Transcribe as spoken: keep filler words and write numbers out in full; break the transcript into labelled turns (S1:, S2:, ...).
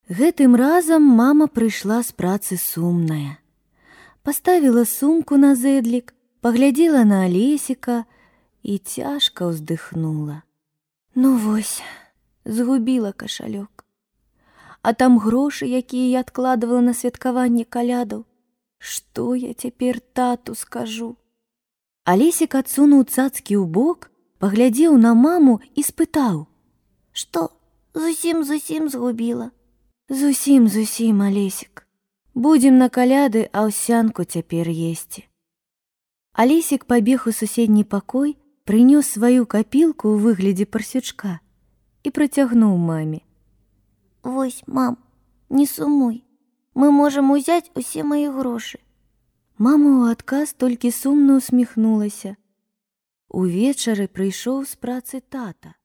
S1: Гэтым разам мама прыйшла з працы сумная. Паставіла сумку на зэдлік, паглядзела на Алесіка і цяжка ўздыхнула. Ну вось, згубіла кашалёк. А там грошы, якія я адкладывала на святкаванне калядаў. Што я цяпер тату скажу? Алесік адсунуў цацкі ў бок, паглядзеў на маму і спытаў:
S2: Што, зусім-зусім згубіла?
S1: Зусім, зусім, Алесік. Будзем на каляды аўсянку цяпер есці. Алесік пабег у суседні пакой, прынёс сваю капілку ў выглядзе парсючка і працягнуў маме.
S2: Вось, мам, не сумуй. Мы можам узяць усе мае грошы.
S1: Мама ў адказ толькі сумна усміхнулася. Увечары прыйшоў з працы тата.